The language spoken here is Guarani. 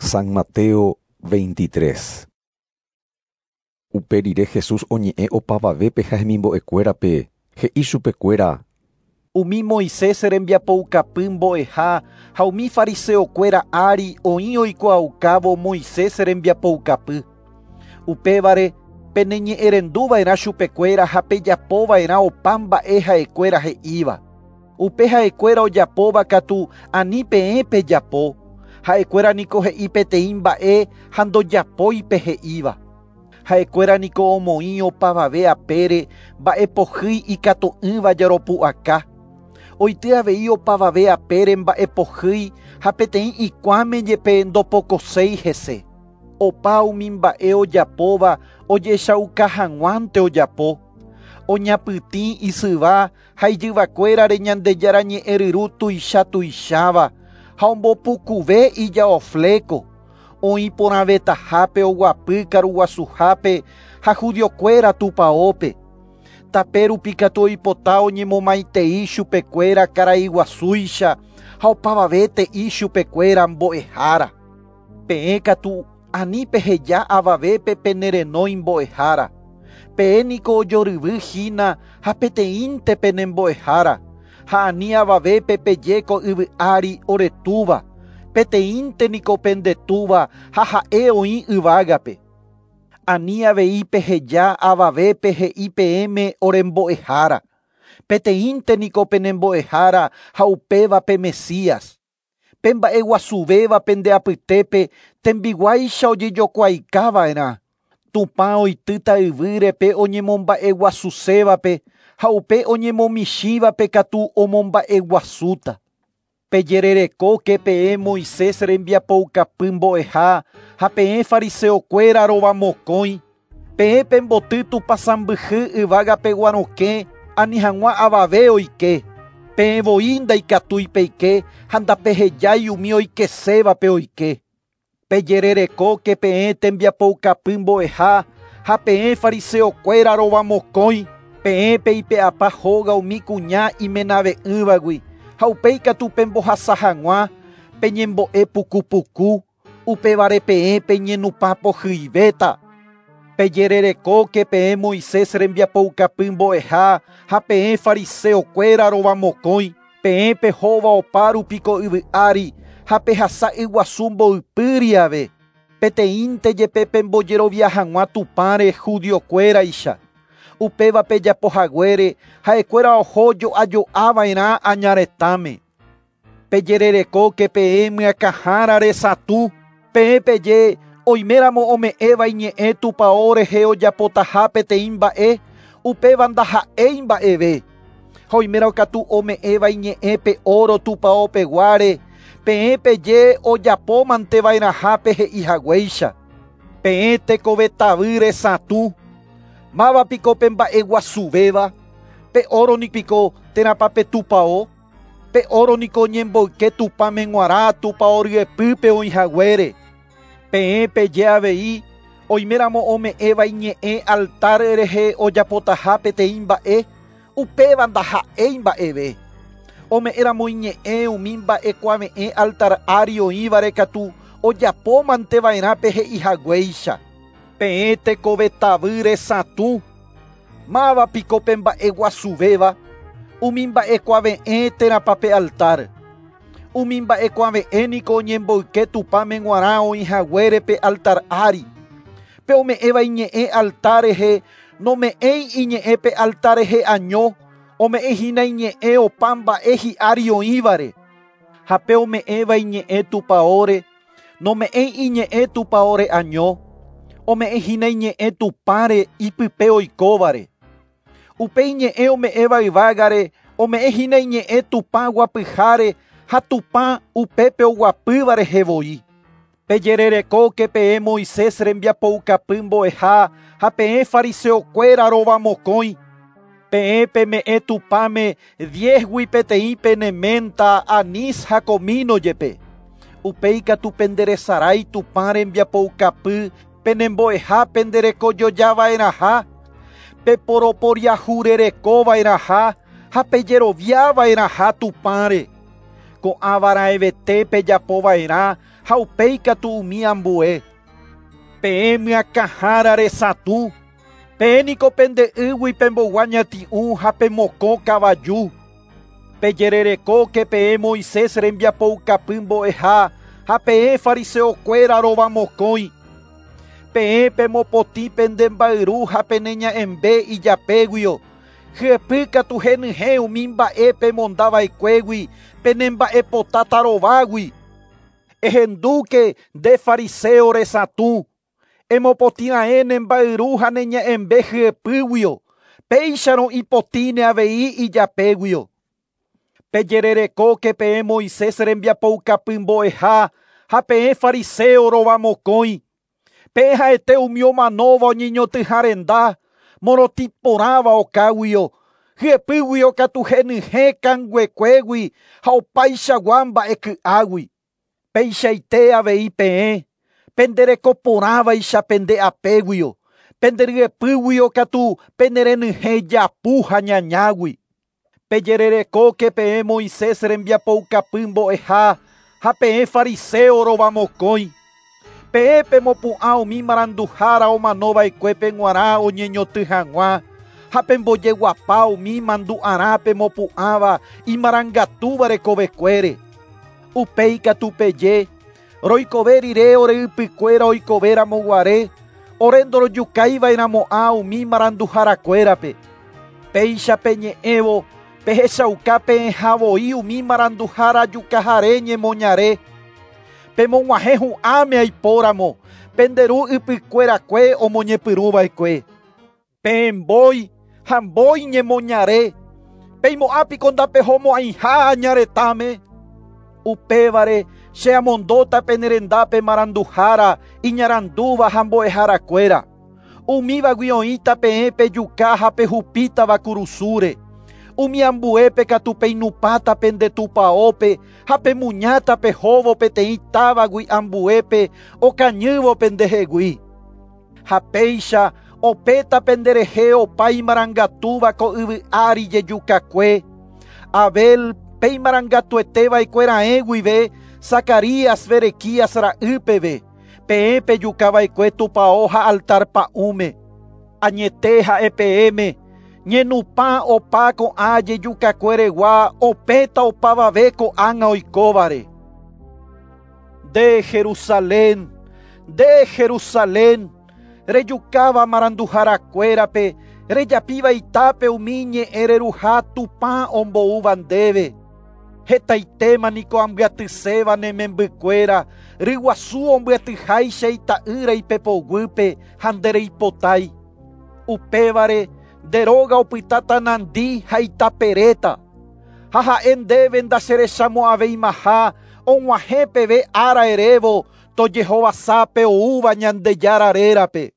San Mateo 23. Upe rire Jesús oñe'ẽ opavavépe ha hemimbo'ekuérape, he'i chupekuéra: Umi Moisés rembiapoukapy mbo'eha ha umi fariseokuéra ári oĩ oikuaaukávo Moisés rembiapoukapy. Upévare peneñe'ẽrenduva'erã chupekuéra ha pejapova'erã opa mba'e ha'ekuéra he'íva. Upe ha'ekuéra ojapóva katu ani peẽ pejapo. Ha'ekuéra niko he'i peteĩ mba'e ha ndojapói pe he'íva. Ha'ekuéra niko omoĩ opavave apére mba'epohýi ikatu'ỹva jaropu'aka. Oity avei opavave apére mba'epohýi ha peteĩ ikuãme jepe ndopokoséi hese. Opa umi mba'e ojapóva ojechauka hag̃uánte ojapo. Oñapytĩ isyva ha ijyvakuérare Ñandejára ñe'ẽryru tuicha tuicháva ha ombopukuve ijaofléko. Oĩ porãvetahápe oguapy karuguasuhápe ha judiokuéra tupãópe. Tape rupi katu oipota oñemomaitei chupekuéra karaiguasúicha ha opavave te'i chupekuéra mbo'ehára. Peẽ katu ani peheja avavépe penerenói mbo'ehára. Peẽ niko ojoryvy hína ha peteĩnte penembo'ehára. Ha ani avavépe peje ko yvy ári oretúva. Peteĩnte niko pendetúva ha ha'e oĩ yvágape. Ani avei peheja avavépe he'i peẽme orembo'ehára. Peteĩnte niko penembo'ehára ha upéva pe Mesías. Pe mba'eguasuvéva pende apytépe tembiguáicha ojejokuaikava'erã. Tupã oitýta yvýre pe oñemomba'eguasusévape ha upe oñemomichĩvape katu omomba'eguasúta. Pejererekóke peẽ Moisés rembiapoukapy mbo'eha ha peẽ fariseokuéra rovamokõi. Peẽ pemboty tupãsãmbyhy yvágape guarõke ani hag̃ua avave oike. Peẽ voi ndaikatúi peike ha ndapehejái umi oikesévape oike. Pejererekóke peẽ tembiapoukapy mbo'eha ha peẽ fariseokuéra rovamokõi. Peẽ peipe'apa hóga umi kuña imenave'ỹvagui ha upéi katu pembohasa hag̃ua peñembo'e pukupuku upévare peẽ peñenupã pohyivéta. Pejererekóke peẽ Moisés rembiapoukapy mbo'eha ha peẽ fariseokuéra rovamokõi. Peẽ pehóva opárupi ko yvy ári ha pehasa yguasu mboypýri ave. Peteĩnte jepe pembojerovia hag̃ua Tupãre judiokuéraicha. Upéva pejapohaguére ha'ekuéra oho jo'ajo'ava'erã añaretãme. Pejererekóke peẽ myakãhára resatũ. Peẽ peje oiméramo ome'ẽva iñe'ẽ tupão rehe ojapotaha peteĩ mba'e, upéva ndaha'éi mba'eve. Ha oimérõ katu ome'ẽva iñe'ẽ pe oro tupãopeguáre, peẽ peje ojapómanteva'erãha pe he'ihaguéicha. Peẽ tekovetavy resatũ. Máva piko pe mba'eguasuvéva, pe oro nipiko térãpa pe tupão. Pe oro niko oñemboyke Tupãme g̃uarã tupão ryepýpe oĩhaguére. Peẽ peje avei oiméramo ome'ẽva iñe'ẽ altar rehe ojapotaha peteĩ mba'e, upéva ndaha'éi mba'eve. Ome'ẽramo iñe'ẽ umi mba'ekuave'ẽ altar ári oĩvare katu ojapómanteva'erã pe he'ihaguéicha. Peẽ tekovetavy resatũ. Máva piko pe mba'eguasuvéva, umi mba'ekuave'ẽ térãpa pe altar. Umi mba'ekuave'ẽ niko oñemboyke Tupãme g̃uarã oĩhaguére pe altar ári. Pe ome'ẽva iñe'ẽ altar rehe nome'ẽi iñe'ẽ pe altar rehe año, ome'ẽ hína iñe'ẽ opa mba'e hi'ári oĩvare. Ha pe ome'ẽva iñe'ẽ tupãóre, nome'ẽi iñe'ẽ tupãóre año, ome'ẽ hína iñe'ẽ Tupãre ipype oikóvare. Upe iñe'ẽ ome'ẽva yvágare, ome'ẽ hína iñe'ẽ Tupã guapyháre ha Tupã upépe oguapýva rehe voi. Pejererekóke peẽ Moisés rembiapoukapy mbo'eha ha peẽ fariseokuéra rovamokõi. Peẽ peme'ẽ Tupãme 10gui peteĩ pene menta, anís ha comino jepe. Upéi katu penderesarái Tupã rembiapoukapy penembo'eha penderekojojava'erãha, peporoporiahurerekova'erãha ha pejeroviava'erãha Tupãre. Ko'ãvaraẽvete pejapova'erã ha upéi katu umi ambue. Peẽ myakãhára resatũ, peẽ niko pende ýgui pembogua ñati'ũ ha pemokõ kavaju. Pejererekóke peẽ Moisés rembiapoukapy mbo'eha ha peẽ fariseokuéra rovamokõi. Peẽ pemopotĩ pende mbayru ha pene ña'ẽmbe ijapéguio. Hyepy katu henyhẽ umi mba'e pemondava'ekuégui pene mba'epota tarovágui. Ehendúke nde fariseo resatũ. Emopotĩra'ẽ ne mbayru ha ne ña'ẽmbe hyepýguio. Péicharõ ipotĩne avei ijapéguio. Pejererekóke peẽ Moisés rembiapoukapy mbo'eha ha peẽ fariseo rovamokõi. Peẽ ha'ete umi omanóva oñeñotỹha renda, morotĩ porãva okáguio, hyepýguio katu henyhẽ kanguekuégui ha opaichagua mba'eky'águi. Peichaite avei peẽ, penderekoporãvaicha pende apéguio, penderyepýguio katu penerenyhẽ japu ha ñañágui. Pejererekóke peẽ Moisés rembiapoukapy mbo'eha ha peẽ fariseo rovamokõi. Peẽ pemopu'ã umi maranduhára omanova'ekuépe g̃uarã oñeñotỹ hag̃ua ha pembojeguapa umi mandu'arã pemopu'ãva imarangatúva rekovekuére. Upéi katu peje, roikove rire ore ypykuéra oikovéramo guare, ore ndorojukaiva'erãmo'ã umi maranduharakuérape. Péicha peñe'ẽvo pehechauka peẽha voi umi maranduhára jukahare ñemoñare. Pemog̃uahẽ hu'ãme aipóramo, pende ru ypykuerakue omoñepyrũva'ekue. Peẽ mbói ha mbói ñemoñare, peimo'ãpiko ndapehomo'ãiha añaretãme. Upévare che amondóta pene rendápe maranduhára iñarandúva ha mbo'eharakuéra. Umívagui oĩta peẽ pejuka ha pehupítava kurusúre. Umi ambuépe katu peinupãta pende tupãópe ha pemuñáta pehóvo peteĩ távagui ambuépe okañývo pendehegui. Ha péicha opéta penderehe opa imarangatúva ko yvy ári jejukakue. Abel pe imarangatueteva'ekueraẽ guive Zacarías Berequías ra'ýpeve, peẽ pejukava'ekue tupão ha altar pa'ũme. Añete ha'e peẽme, ñenupã opa ko'ã jejukakueregua opéta opavave ko'ág̃a oikóvare. Nde Jerusalén, nde Jerusalén, rejukáva maranduharakuérape, rejapíva itápe umi ñe'ẽ reruha Tupã omboúva ndéve. Hetaitéma niko ambyatyséva ne membykuéra, ryguasu ombyatyháicha ita'ýra ipepoguýpe ha ndereipotái. Upévare nde róga opytáta nandi ha itaperéta. Ha ha'e ndéve ndacherechamo'ãveimaha og̃uahẽ peve ára erévo tojehovasápe oúva Ñandejára rérape.